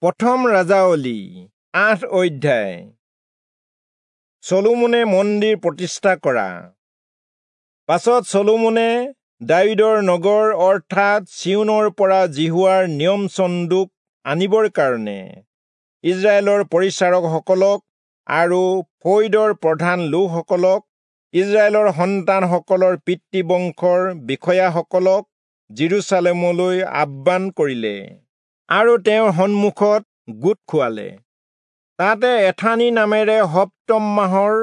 প্ৰথম ৰাজাৱলী ৮ অধ্যায়। চলোমনে মন্দিৰ প্ৰতিষ্ঠা কৰা। পাছত চলোমনে দায়ূদৰ নগৰ অৰ্থাৎ চিয়োনৰ পৰা যিহোৱাৰ নিয়ম চন্দুক আনিবৰ কাৰণে ইস্ৰায়েলৰ পৰিচাৰকসকলক আৰু ফৈদৰ প্ৰধান লোকসকলক, ইস্ৰায়েলৰ সন্তানসকলৰ পিতৃবংশৰ বিষয়াসকলক যিৰূচালেমলৈ আহ্বান কৰিলে আৰু তেওঁৰ সন্মুখত গোট খুৱালে। তাতে এথানি নামেৰে সপ্তম মাহৰ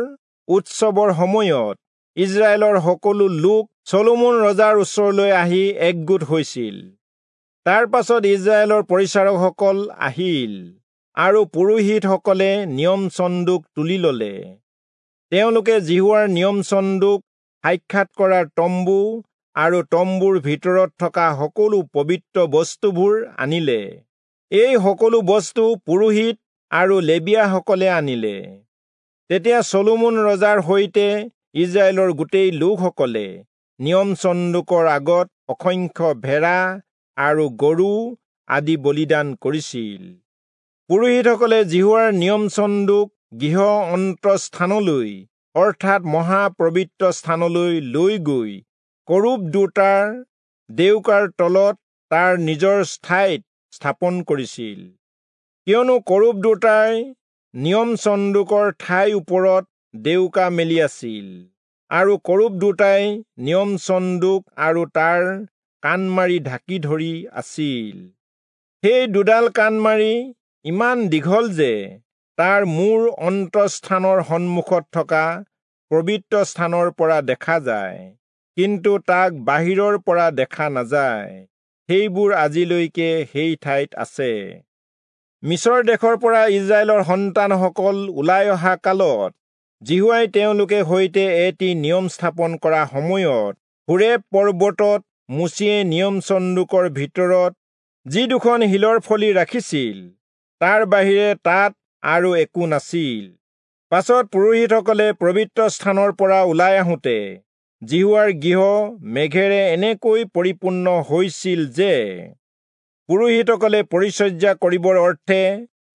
উৎসৱৰ সময়ত ইস্ৰায়েলৰ সকলো লোক চলোমন ৰজাৰ ওচৰলৈ আহি একগোট হৈছিল। তাৰ পাছত ইস্ৰায়েলৰ পৰিচাৰকসকল আহিল আৰু পুৰোহিতসকলে নিয়ম চন্দুক তুলি ললে। তেওঁলোকে যিহোৱাৰ নিয়ম চন্দুক, সাক্ষাৎ কৰাৰ তম্বু আৰু তম্বুৰ ভিতৰত থকা সকলো পবিত্ৰ বস্তুবোৰ আনিলে। এই সকলো বস্তু পুৰোহিত আৰু লেবীয়াসকলে আনিলে। তেতিয়া চলোমন ৰজাৰ সৈতে ইস্ৰায়েলৰ গোটেই লোকসকলে নিয়ম চন্দুকৰ আগত অসংখ্য ভেড়া আৰু গৰু আদি বলিদান কৰিছিল। পুৰোহিতসকলে যিহোৱাৰ নিয়ম চন্দুক গৃহ অন্তঃস্থানলৈ অৰ্থাৎ মহাপবিত্ৰ স্থানলৈ লৈ গৈ কৰূব দুটাৰ ডেউকাৰ তলত তাৰ নিজৰ ঠাইত স্থাপন কৰিছিল। কিয়নো কৰূব দুটাই নিয়ম চন্দুকৰ ঠাইৰ ওপৰত ডেউকা মেলি আছিল আৰু কৰূব দুটাই নিয়ম চন্দুক আৰু তাৰ কাণমাৰি ঢাকি ধৰি আছিল। সেই দুডাল কাণমাৰি ইমান দীঘল যে তাৰ মূৰ অন্তঃস্থানৰ সন্মুখত থকা পবিত্ৰ স্থানৰ পৰা দেখা যায়, কিন্তু তাক বাহিৰৰ পৰা দেখা নাযায়। সেইবোৰ আজিলৈকে সেই ঠাইত আছে। মিচৰ দেশৰ পৰা ইস্ৰায়েলৰ সন্তানসকল ওলাই অহা কালত যিহোৱাই তেওঁলোকে সৈতে এটি নিয়ম স্থাপন কৰা সময়ত হোৰেব পৰ্বতত মোচিয়ে নিয়ম চন্দুকৰ ভিতৰত যি দুখন শিলৰ ফলি ৰাখিছিল, তাৰ বাহিৰে তাত আৰু একো নাছিল। পাছত পুৰোহিতসকলে পবিত্ৰ স্থানৰ পৰা ওলাই আহোঁতে যিহোৱাৰ গৃহ মেঘেৰে এনেকৈ পৰিপূৰ্ণ হৈছিল যে পুৰোহিতসকলে পৰিচৰ্যা কৰিবৰ অৰ্থে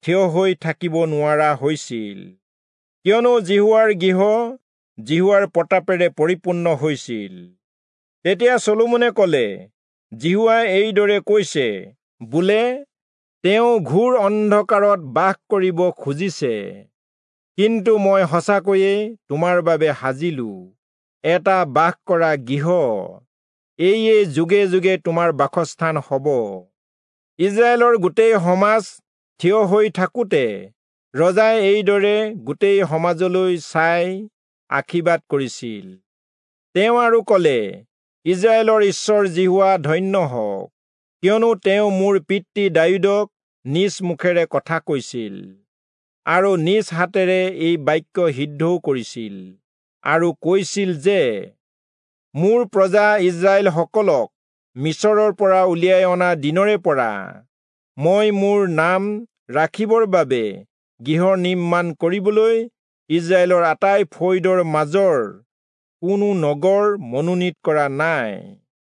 থিয় হৈ থাকিব নোৱাৰা হৈছিল, কিয়নো যিহোৱাৰ গৃহ যিহোৱাৰ প্ৰতাপেৰে পৰিপূৰ্ণ হৈছিল। তেতিয়া চলোমনে কলে, যিহোৱাই এইদৰে কৈছে, বোলে তেওঁ ঘোৰ অন্ধকাৰত বাস কৰিব খুজিছে, কিন্তু মই সঁচাকৈয়ে তোমাৰ বাবে সাজিলো এটা বাস কৰা গৃহ, এইয়ে যুগে যুগে তোমাৰ বাসস্থান হ'ব। ইস্ৰায়েলৰ গোটেই সমাজ থিয় হৈ থাকোঁতে ৰজাই এইদৰে গোটেই সমাজলৈ চাই আশীৰ্বাদ কৰিছিল। তেওঁ আৰু কলে, ইস্ৰায়েলৰ ঈশ্বৰ যিহোৱা ধন্য হওক, কিয়নো তেওঁ মোৰ পিতৃ দায়ূদক নিজ মুখেৰে কথা কৈছিল আৰু নিজ হাতেৰে এই বাক্য সিদ্ধও কৰিছিল আৰু কৈছিল যে, মোৰ প্ৰজা ইস্ৰায়েলসকলক মিচৰৰ পৰা উলিয়াই অনা দিনৰে পৰা মই মোৰ নাম ৰাখিবৰ বাবে গৃহ নিৰ্মাণ কৰিবলৈ ইস্ৰায়েলৰ আটাই ফৈদৰ মাজৰ কোনো নগৰ মনোনীত কৰা নাই,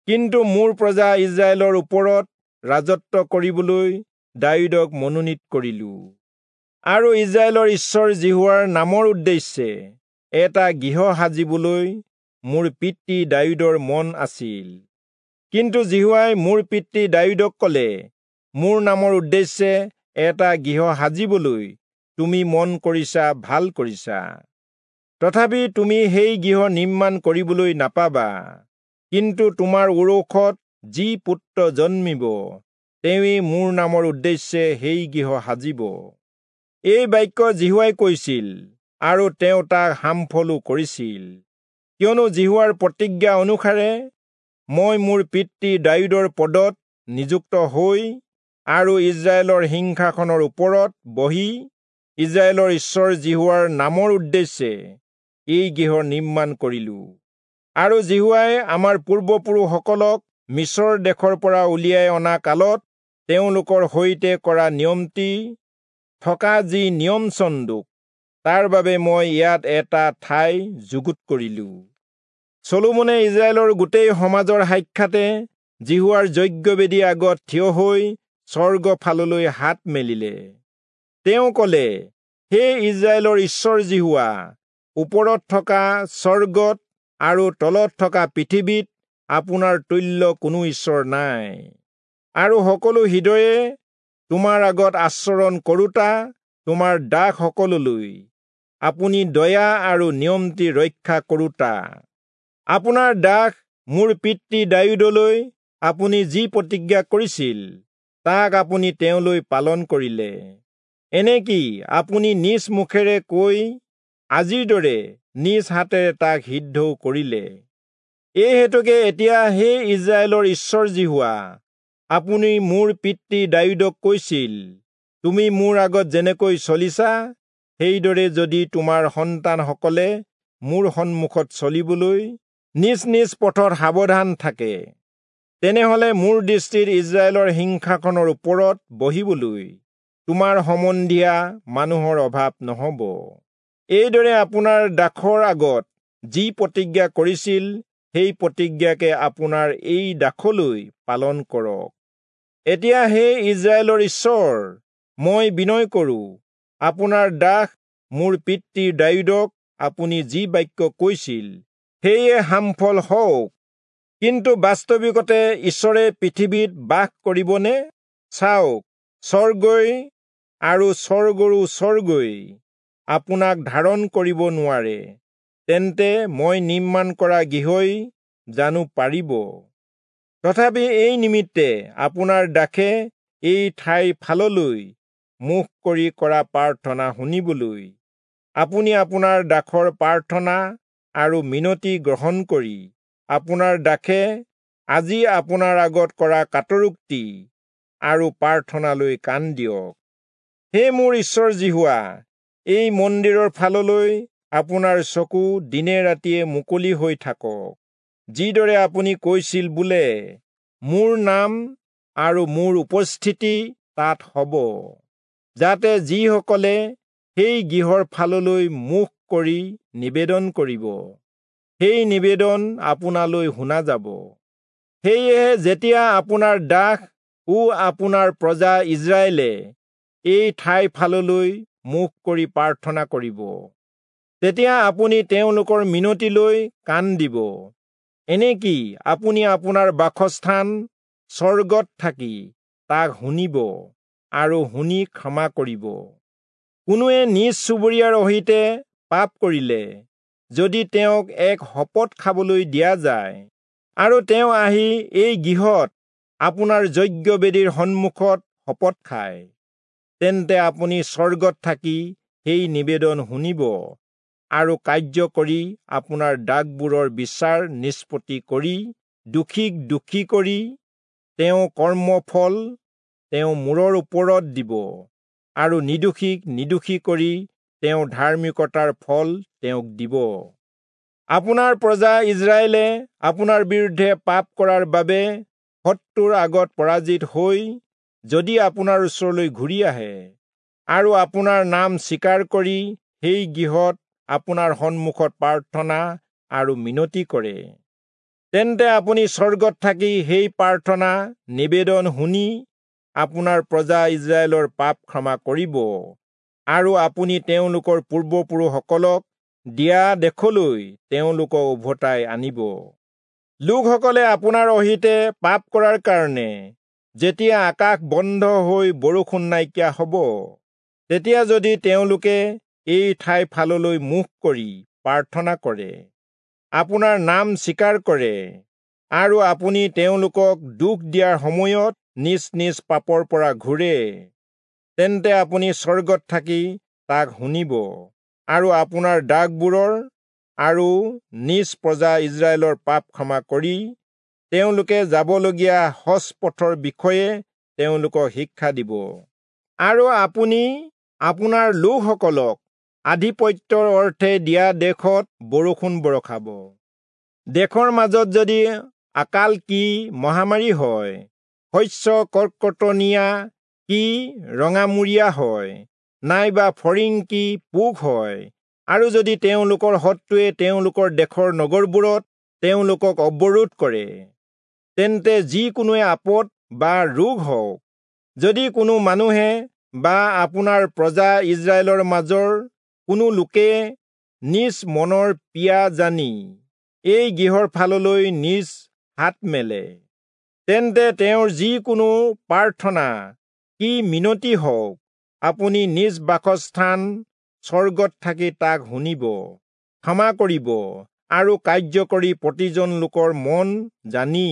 কিন্তু মোৰ প্ৰজা ইস্ৰায়েলৰ ওপৰত ৰাজত্ব কৰিবলৈ দায়ূদক মনোনীত কৰিলো। আৰু ইস্ৰায়েলৰ ঈশ্বৰ যিহোৱাৰ নামৰ উদ্দেশ্যে এটা গৃহ সাজিবলৈ মোৰ পিতৃ দায়ূদৰ মন আছিল। কিন্তু যিহোৱাই মোৰ পিতৃ দায়ূদক কলে, মোৰ নামৰ উদ্দেশ্যে এটা গৃহ সাজিবলৈ তুমি মন কৰিছা, ভাল কৰিছা। তথাপি তুমি সেই গৃহ নিৰ্মাণ কৰিবলৈ নাপাবা, কিন্তু তোমাৰ ঔৰসত যি পুত্ৰ জন্মিব, তেওঁৱেই মোৰ নামৰ উদ্দেশ্যে সেই গৃহ সাজিব। এই বাক্য যিহোৱাই কৈছিল আৰু তেওঁ তাক সামফলো কৰিছিল, কিয়নো যিহোৱাৰ প্ৰতিজ্ঞা অনুসাৰে মই মোৰ পিতৃ দায়ূদৰ পদত নিযুক্ত হৈ আৰু ইস্ৰায়েলৰ সিংহাসনৰ ওপৰত বহি ইস্ৰায়েলৰ ঈশ্বৰ যিহোৱাৰ নামৰ উদ্দেশ্যে এই গৃহ নিৰ্মাণ কৰিলো। আৰু যিহোৱাই আমাৰ পূৰ্বপুৰুষসকলক মিচৰ দেশৰ পৰা উলিয়াই অনা কালত তেওঁলোকৰ সৈতে কৰা নিয়মটি থকা যি নিয়ম চন্দুক, তাৰ বাবে মই ইয়াত এটা ঠাই যুগুত কৰিলো। চলোমনে ইস্ৰায়েলৰ গোটেই সমাজৰ সাক্ষাতে যিহোৱাৰ যজ্ঞবেদীৰ আগত থিয় হৈ স্বৰ্গ ফাললৈ হাত মেলিলে। তেওঁ ক'লে, হে ইস্ৰায়েলৰ ঈশ্বৰ যিহোৱা, ওপৰত থকা স্বৰ্গত আৰু তলত থকা পৃথিৱীত আপোনাৰ তুল্য কোনো ঈশ্বৰ নাই, আৰু সকলো হৃদয়ে তোমাৰ আগত আচৰণ কৰোঁতা তোমাৰ দাসসকললৈ আপুনি দয়া আৰু নিয়মটি ৰক্ষা কৰোঁতা। আপোনাৰ দাস মোৰ পিতৃ দায়ূদলৈ আপুনি যি প্ৰতিজ্ঞা কৰিছিল তাক আপুনি তেওঁলৈ পালন কৰিলে। এনেকি আপুনি নিজ মুখেৰে কৈ আজিৰ দৰে নিজ হাতেৰে তাক সিদ্ধও কৰিলে। এই হেতুকে এতিয়া হে ইস্ৰায়েলৰ ঈশ্বৰ যিহোৱা, আপুনি মোৰ পিতৃ দায়ূদক কৈছিল, তুমি মোৰ আগত যেনেকৈ চলিছা সেইদৰে যদি তোমাৰ সন্তানসকলে মোৰ সন্মুখত চলিবলৈ নিজ নিজ পথত সাৱধান থাকে, তেনেহলে মোৰ দৃষ্টিত ইস্ৰায়েলৰ সিংহাসনৰ ওপৰত বহিবলৈ তোমাৰ সম্বন্ধীয়া মানুহৰ অভাৱ নহ'ব। এইদৰে আপোনাৰ দাসৰ আগত যি প্ৰতিজ্ঞা কৰিছিল সেই প্ৰতিজ্ঞাকে আপোনাৰ এই দাসলৈ পালন কৰক। এতিয়া হে ইস্ৰায়েলৰ ঈশ্বৰ, মই বিনয় কৰোঁ, আপোনাৰ দাস মোৰ পিতৃ দায়ূদক আপুনি যি বাক্য কৈছিল সেয়ে সামফল হওক। কিন্তু বাস্তৱিকতে ঈশ্বৰে পৃথিৱীত বাস কৰিবনে? চাওক, স্বৰ্গই আৰু স্বৰ্গৰো স্বৰ্গই আপোনাক ধাৰণ কৰিব নোৱাৰে, তেন্তে মই নিৰ্মাণ কৰা গৃহই জানো পাৰিব? তথাপি এই নিমিত্তে আপোনাৰ দাসে এই ঠাইৰ ফাললৈ মুখ কৰি কৰা প্ৰাৰ্থনা শুনিবলৈ আপুনি আপোনাৰ দাসৰ প্ৰাৰ্থনা আৰু মিনতি গ্ৰহণ কৰি আপোনাৰ দাসে আজি আপোনাৰ আগত কৰা কাতৰোক্তি আৰু প্ৰাৰ্থনালৈ কাণ দিয়ক। হে মোৰ ঈশ্বৰ যিহোৱা, এই মন্দিৰৰ ফাললৈ আপোনাৰ চকু দিনে ৰাতিয়ে মুকলি হৈ থাকক, যিদৰে আপুনি কৈছিল বোলে, মোৰ নাম আৰু মোৰ উপস্থিতি তাত হ'ব, যাতে যিসকলে সেই গৃহৰ ফাললৈ মুখ কৰি নিবেদন কৰিব সেই নিবেদন আপোনালৈ শুনা যাব। সেয়েহে যেতিয়া আপোনাৰ দাস ও আপোনাৰ প্ৰজা ইস্ৰায়েলে এই ঠাইৰ ফাললৈ মুখ কৰি প্ৰাৰ্থনা কৰিব, তেতিয়া আপুনি তেওঁলোকৰ মিনতিলৈ কাণ দিব। এনেকি আপুনি আপোনাৰ বাসস্থান স্বৰ্গত থাকি তাক শুনিব আৰু শুনি ক্ষমা কৰিব। কোনোৱে নিজ চুবুৰীয়াৰ অহিতে পাপ কৰিলে যদি তেওঁক এক শপত খাবলৈ দিয়া যায়, আৰু তেওঁ আহি এই গৃহত আপোনাৰ যজ্ঞবেদীৰ সন্মুখত শপত খায়, তেন্তে আপুনি স্বৰ্গত থাকি সেই নিবেদন শুনিব আৰু কাৰ্য কৰি আপোনাৰ দাগবোৰৰ বিচাৰ নিষ্পত্তি কৰি দোষীক দোষী কৰি তেওঁ কৰ্মফল তেওঁ মূৰৰ ওপৰত দিব, আৰু নিৰ্দোষীক নিৰ্দোষী কৰি তেওঁ ধাৰ্মিকতাৰ ফল তেওঁক দিব। আপোনাৰ প্ৰজা ইস্ৰায়েলে আপোনাৰ বিৰুদ্ধে পাপ কৰাৰ বাবে শত্ৰুৰ আগত পৰাজিত হৈ যদি আপোনাৰ ওচৰলৈ ঘূৰি আহে আৰু আপোনাৰ নাম স্বীকাৰ কৰি সেই গৃহত আপোনাৰ সন্মুখত প্ৰাৰ্থনা আৰু মিনতি কৰে, তেন্তে আপুনি স্বৰ্গত থাকি সেই প্ৰাৰ্থনা নিবেদন শুনি আপোনাৰ প্ৰজা ইস্ৰায়েলৰ পাপ ক্ষমা কৰিব, আৰু আপুনি তেওঁলোকৰ পূৰ্বপুৰুষসকলক দিয়া দেশলৈ তেওঁলোকক উভতাই আনিব। লোকসকলে আপোনাৰ অহিতে পাপ কৰাৰ কাৰণে যেতিয়া আকাশ বন্ধ হৈ বৰষুণ নাইকিয়া হ'ব, তেতিয়া যদি তেওঁলোকে এই ঠাইৰ ফাললৈ মুখ কৰি প্ৰাৰ্থনা কৰে, আপোনাৰ নাম স্বীকাৰ কৰে, আৰু আপুনি তেওঁলোকক দুখ দিয়াৰ সময়ত নিজ নিজ পাপৰ পৰা ঘূৰে, তেন্তে আপুনি স্বৰ্গত থাকি তাক শুনিব আৰু আপোনাৰ দাগবোৰৰ আৰু নিজ প্ৰজা ইস্ৰায়েলৰ পাপ ক্ষমা কৰি তেওঁলোকে যাবলগীয়া সজ পথৰ বিষয়ে তেওঁলোকক শিক্ষা দিব। আৰু আপুনি আপোনাৰ লোকসকলক আধিপত্যৰ অৰ্থে দিয়া দেশত বৰষুণ বৰষাব। দেশৰ মাজত যদি আকাল কি মহামাৰী হয়, শস্য কৰ্কটনীয়া কি ৰঙামূৰীয়া হয়, নাইবা ফৰিং কি পোক হয়, আৰু যদি তেওঁলোকৰ শত্ৰুৱে তেওঁলোকৰ দেশৰ নগৰবোৰত তেওঁলোকক অৱৰোধ কৰে, তেন্তে যিকোনোৱে আপদ বা ৰোগ হওক যদি কোনো মানুহে বা আপোনাৰ প্ৰজা ইস্ৰায়েলৰ মাজৰ কোনো লোকে নিজ মনৰ পিয়া জানি এই গৃহৰ ফাললৈ নিজ হাত মেলে, তেন্তে তেওঁৰ যিকোনো প্ৰাৰ্থনা কি মিনতি হওক, আপুনি নিজ বাসস্থান স্বৰ্গত থাকি তাক শুনিব, ক্ষমা কৰিব আৰু কাৰ্য কৰি প্ৰতিজন লোকৰ মন জানি,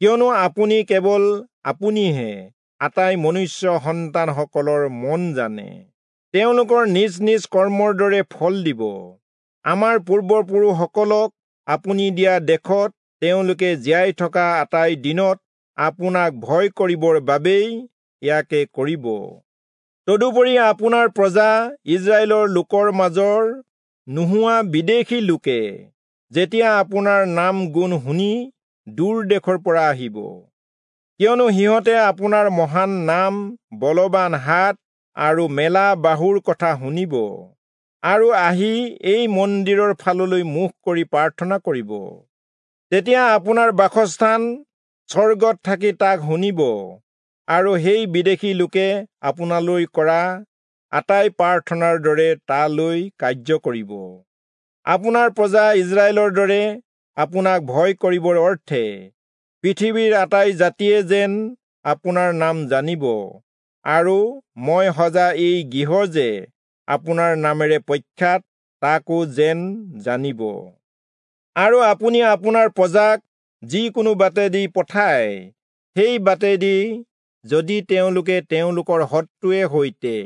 কিয়নো আপুনি কেৱল আপুনিহে আটাই মনুষ্য সন্তানসকলৰ মন জানে, তেওঁলোকৰ নিজ নিজ কৰ্মৰ দৰে ফল দিব। আমাৰ পূৰ্বপুৰুষসকলক আপুনি দিয়া দেশত তেওঁলোকে জীয়াই থকা আটাই দিনত আপোনাক ভয় কৰিবৰ বাবেই ইয়াকে কৰিব। তদুপৰি আপোনাৰ প্ৰজা ইস্ৰায়েলৰ লোকৰ মাজৰ নোহোৱা বিদেশী লোকে যেতিয়া আপোনাৰ নাম গুণ শুনি দূৰ দেশৰ পৰা আহিব, কিয়নো সিহঁতে আপোনাৰ মহান নাম, বলৱান হাত আৰু মেলা বাহুৰ কথা শুনিব আৰু আহি এই মন্দিৰৰ ফাললৈ মুখ কৰি প্ৰাৰ্থনা কৰিব, তেতিয়া আপোনাৰ বাসস্থান স্বৰ্গত থাকি তাক শুনিব আৰু সেই বিদেশী লোকে আপোনালৈ কৰা আটাই প্ৰাৰ্থনাৰ দৰে তালৈ কাৰ্য কৰিব। আপোনাৰ প্ৰজা ইস্ৰায়েলৰ দৰে আপোনাক ভয় কৰিবৰ অৰ্থে পৃথিৱীৰ আটাই জাতিয়ে যেন আপোনাৰ নাম জানিব আৰু মই সজা এই গৃহ যে আপোনাৰ নামেৰে প্ৰখ্যাত তাকো যেন জানিব। আৰু আপুনি আপোনাৰ প্ৰজাক যিকোনো বাটেদি পঠায়, সেই বাটেদি যদি তেওঁলোকে তেওঁলোকৰ শত্ৰুৱে সৈতে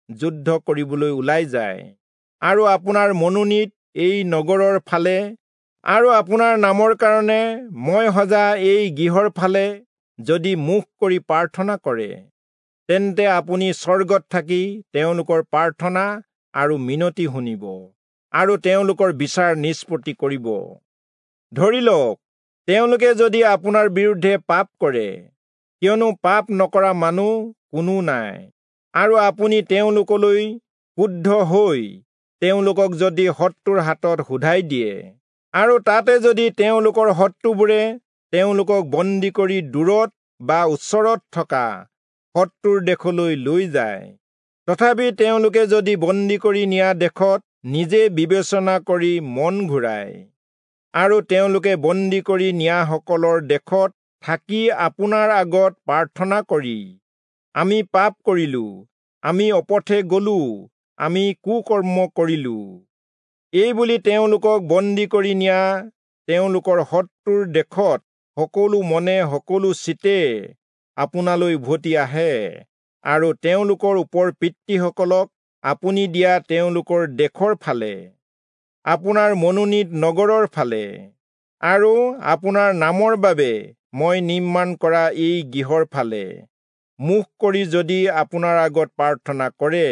যুদ্ধ কৰিবলৈ ওলাই যায় আৰু আপোনাৰ মনোনীত এই নগৰৰ ফালে আৰু আপোনাৰ নামৰ কাৰণে মই সজা এই গৃহৰ ফালে যদি মুখ কৰি প্ৰাৰ্থনা কৰে, তেন্তে আপুনি স্বৰ্গত থাকি তেওঁলোকৰ প্ৰাৰ্থনা আৰু মিনতি শুনিব আৰু তেওঁলোকৰ বিচাৰ নিষ্পত্তি কৰিব। ধৰি লওক, তেওঁলোকে যদি আপোনাৰ বিৰুদ্ধে পাপ কৰে, কিয়নো পাপ নকৰা মানুহ কোনো নাই, আৰু আপুনি তেওঁলোকলৈ ক্ৰুদ্ধ হৈ তেওঁলোকক যদি শত্ৰুৰ হাতত শোধাই দিয়ে আৰু তাতে যদি তেওঁলোকৰ শত্ৰুবোৰে তেওঁলোকক বন্দী কৰি দূৰত বা ওচৰত থকা শত্ৰুৰ দেশলৈ লৈ যায়, তথাপি তেওঁলোকে যদি বন্দী কৰি নিয়া দেশত নিজে বিবেচনা কৰি মন ঘূৰায় আৰু তেওঁলোকে বন্দী কৰি নিয়াসকলৰ দেশত থাকি আপোনাৰ আগত প্ৰাৰ্থনা কৰি, আমি পাপ কৰিলো, আমি অপথে গলো, আমি কুকৰ্ম কৰিলো, এই বুলি তেওঁলোকক বন্দী কৰি নিয়া তেওঁলোকৰ শত্ৰুৰ দেশত সকলো মনে সকলো চিতে আপোনালৈ উভতি আহে আৰু তেওঁলোকৰ ওপৰ পিতৃসকলক আপুনি দিয়া তেওঁলোকৰ দেশৰ ফালে, আপোনাৰ মনোনীত নগৰৰ ফালে আৰু আপোনাৰ নামৰ বাবে মই নিৰ্মাণ কৰা এই গৃহৰ ফালে মুখ কৰি যদি আপোনাৰ আগত প্ৰাৰ্থনা কৰে,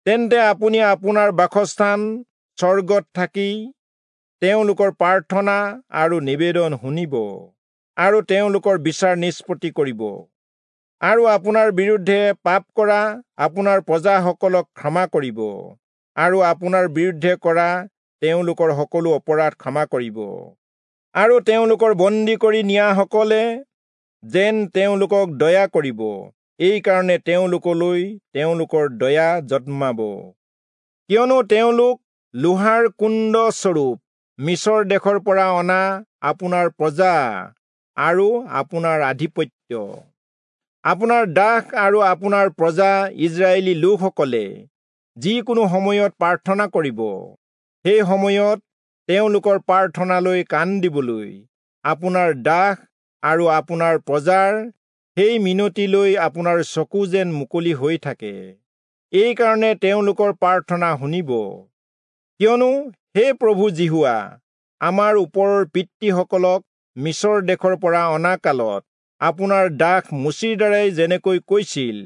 তেন্তে আপুনি আপোনাৰ বাসস্থান স্বৰ্গত থাকি তেওঁলোকৰ প্ৰাৰ্থনা আৰু নিবেদন শুনিব আৰু তেওঁলোকৰ বিচাৰ নিষ্পত্তি কৰিব আৰু আপোনাৰ বিৰুদ্ধে পাপ কৰা আপোনাৰ প্ৰজাসকলক ক্ষমা কৰিব আৰু আপোনাৰ বিৰুদ্ধে কৰা তেওঁলোকৰ সকলো অপৰাধ ক্ষমা কৰিব আৰু তেওঁলোকৰ বন্দী কৰি নিয়াসকলে যেন তেওঁলোকক দয়া কৰিব, এইকাৰণে তেওঁলোকলৈ তেওঁলোকৰ দয়া জন্মাব। কিয়নো তেওঁলোক লোহাৰ কুণ্ড স্বৰূপ মিছৰ দেশৰ পৰা অনা আপোনাৰ প্ৰজা আৰু আপোনাৰ আধিপত্য। আপোনাৰ দাস আৰু আপোনাৰ প্ৰজা ইস্ৰায়েলী লোকসকলে যিকোনো সময়ত প্ৰাৰ্থনা কৰিব, সেই সময়ত তেওঁলোকৰ প্ৰাৰ্থনালৈ কাণ দিবলৈ আপোনাৰ দাস আৰু আপোনাৰ প্ৰজাৰ সেই মিনতিলৈ আপোনাৰ চকু যেন মুকলি হৈ থাকে, এইকাৰণে তেওঁলোকৰ প্ৰাৰ্থনা শুনিব। কিয়নো হে প্ৰভু যিহোৱা, আমাৰ ওপৰৰ পিতৃসকলক মিছৰ দেশৰ পৰা অনা কালত আপোনাৰ দাস মোচিৰ দ্বাৰাই যেনেকৈ কৈছিল,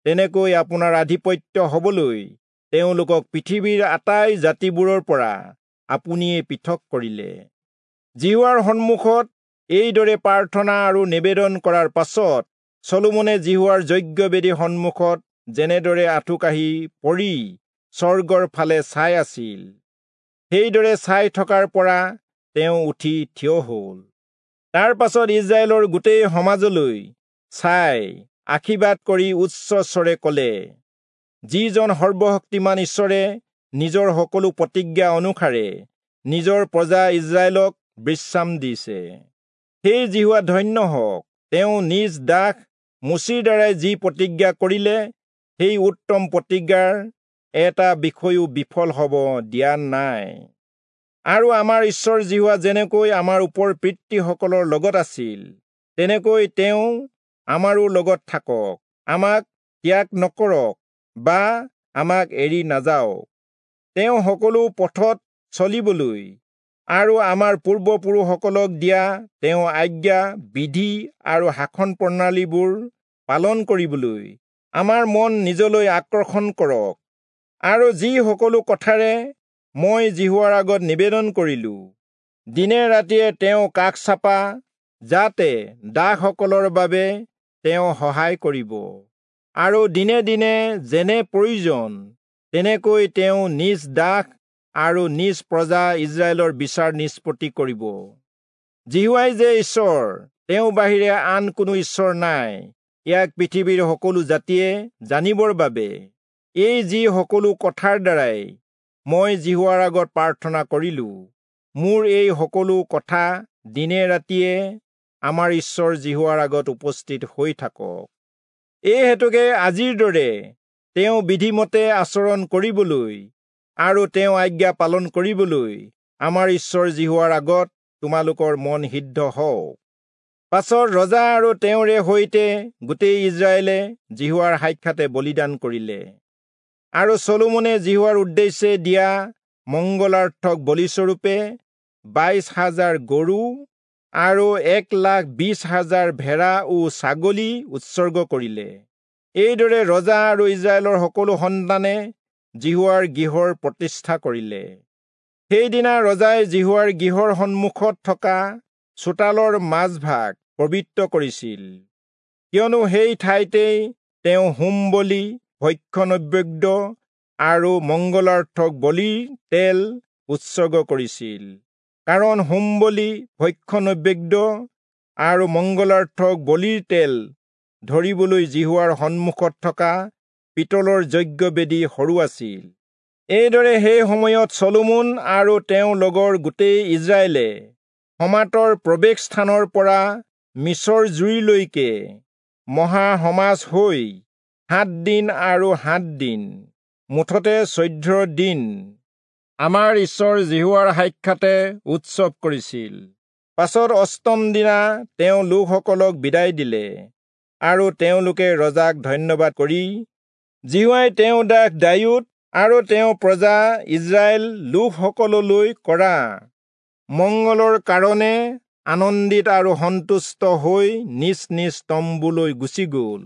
তেনেকৈ আপোনাৰ আধিপত্য হবলৈ তেওঁলোকক পৃথিৱীৰ আটাই জাতিবোৰৰ পৰা আপুনিয়ে পৃথক কৰিলে। যিহোৱাৰ সন্মুখত এইদৰে প্ৰাৰ্থনা আৰু নিবেদন কৰাৰ পাছত চলোমনে যিহোৱাৰ যজ্ঞবেদীৰ সন্মুখত যেনেদৰে আঁঠুকাঢ়ি পৰি স্বৰ্গৰ ফালে চাই আছিল, সেইদৰে চাই থকাৰ পৰা তেওঁ উঠি থিয় হল। তাৰ পাছত ইস্ৰায়েলৰ গোটেই সমাজলৈ চাই আশীৰ্বাদ কৰি উচ্চ স্বৰে ক'লে, যিজন সৰ্বশক্তিমান ঈশ্বৰে নিজৰ সকলো প্ৰতিজ্ঞা অনুসাৰে নিজৰ প্ৰজা ইস্ৰায়েলক বিশ্ৰাম দিছে, সেই যিহোৱা ধন্য হওক। তেওঁ নিজ দাস মোচিৰ দ্বাৰাই যি প্ৰতিজ্ঞা কৰিলে, সেই উত্তম প্ৰতিজ্ঞাৰ এটা বিষয়ো বিফল হ'ব দিয়া নাই। আৰু আমাৰ ঈশ্বৰ যিহোৱা যেনেকৈ আমাৰ ওপৰ পিতৃসকলৰ লগত আছিল, তেনেকৈ তেওঁ আমাৰো লগত থাকক, আমাক ত্যাগ নকৰক বা আমাক এৰি নাযাওক। তেওঁ সকলো পথত চলিবলৈ আৰু আমাৰ পূৰ্বপুৰুষসকলক দিয়া তেওঁ আজ্ঞা, বিধি আৰু শাসন প্ৰণালীবোৰ পালন কৰিবলৈ আমাৰ মন নিজলৈ আকৰ্ষণ কৰক। আৰু যি সকলো কথাৰে মই যিহোৱাৰ আগত নিবেদন কৰিলো, দিনে ৰাতিয়ে তেওঁ কাষ চাপা, যাতে দাসসকলৰ বাবে তেওঁ সহায় কৰিব, আৰু দিনে দিনে যেনে প্ৰয়োজন তেনেকৈ তেওঁ নিজ দাস আৰু নিজ প্ৰজা ইস্ৰায়েলৰ বিচাৰ নিষ্পত্তি কৰিব। যিহোৱাই যে ঈশ্বৰ, তেওঁ বাহিৰে আন কোনো ঈশ্বৰ নাই, ইয়াক পৃথিৱীৰ সকলো জাতিয়ে জানিবৰ বাবে এই যি সকলো কথাৰ দ্বাৰাই মই যিহোৱাৰ আগত প্ৰাৰ্থনা কৰিলো, মোৰ এই সকলো কথা দিনে ৰাতিয়ে আমাৰ ঈশ্বৰ যিহোৱাৰ আগত উপস্থিত হৈ থাকক। এই হেতুকে আজিৰ দৰে তেওঁ বিধিমতে আচৰণ কৰিবলৈ আৰু তেওঁ আজ্ঞা পালন কৰিবলৈ আমাৰ ঈশ্বৰ যিহোৱাৰ আগত তোমালোকৰ মন সিদ্ধ হওক। পাছত ৰজা আৰু তেওঁৰে সৈতে গোটেই ইস্ৰায়েলে যিহোৱাৰ সাক্ষাতে বলিদান কৰিলে। আৰু চলোমনে যিহোৱাৰ উদ্দেশ্যে দিয়া মংগলাৰ্থক বলিস্বৰূপে 22,000 গৰু আৰু 1,20,000 ভেড়া ও ছাগলী উৎসৰ্গ কৰিলে। এইদৰে ৰজা আৰু ইস্ৰায়েলৰ সকলো সন্তানে যিহোৱাৰ গৃহৰ প্ৰতিষ্ঠা কৰিলে। সেইদিনা ৰজাই যিহোৱাৰ গৃহৰ সন্মুখত থকা চোতালৰ মাজভাগ পবিত্ৰ কৰিছিল, কিয়নো সেই ঠাইতেই তেওঁ হোম বলি, ভক্ষ্য নৈবেদ্য আৰু মংগলাৰ্থক বলিৰ তেল উৎসৰ্গ কৰিছিল। কাৰণ হোম বলি, ভক্ষ্য নৈবেদ্য আৰু মংগলাৰ্থক বলিৰ তেল ধৰিবলৈ যিহোৱাৰ সন্মুখত থকা পিতলৰ যজ্ঞবেদী সৰু আছিল। এইদৰে সেই সময়ত চলোমন আৰু তেওঁৰ লগৰ গোটেই ইস্ৰায়েলে হমাতৰ প্ৰৱেশ স্থানৰ পৰা মিছৰ জুৰিলৈকে মহা সমাজ হৈ 7 দিন আৰু 7 দিন, মুঠতে 14 দিন আমাৰ ঈশ্বৰ যিহোৱাৰ সাক্ষাতে উৎসৱ কৰিছিল। পাছত অষ্টম দিনা তেওঁ লোকসকলক বিদায় দিলে, আৰু তেওঁলোকে ৰজাক ধন্যবাদ কৰি যিহোৱাই তেওঁ দাস দায়ূদ আৰু তেওঁ প্ৰজা ইস্ৰায়েল লোকসকললৈ কৰা মংগলৰ কাৰণে আনন্দিত আৰু সন্তুষ্ট হৈ নিজ নিজ তম্বুলৈ গুচি গ'ল।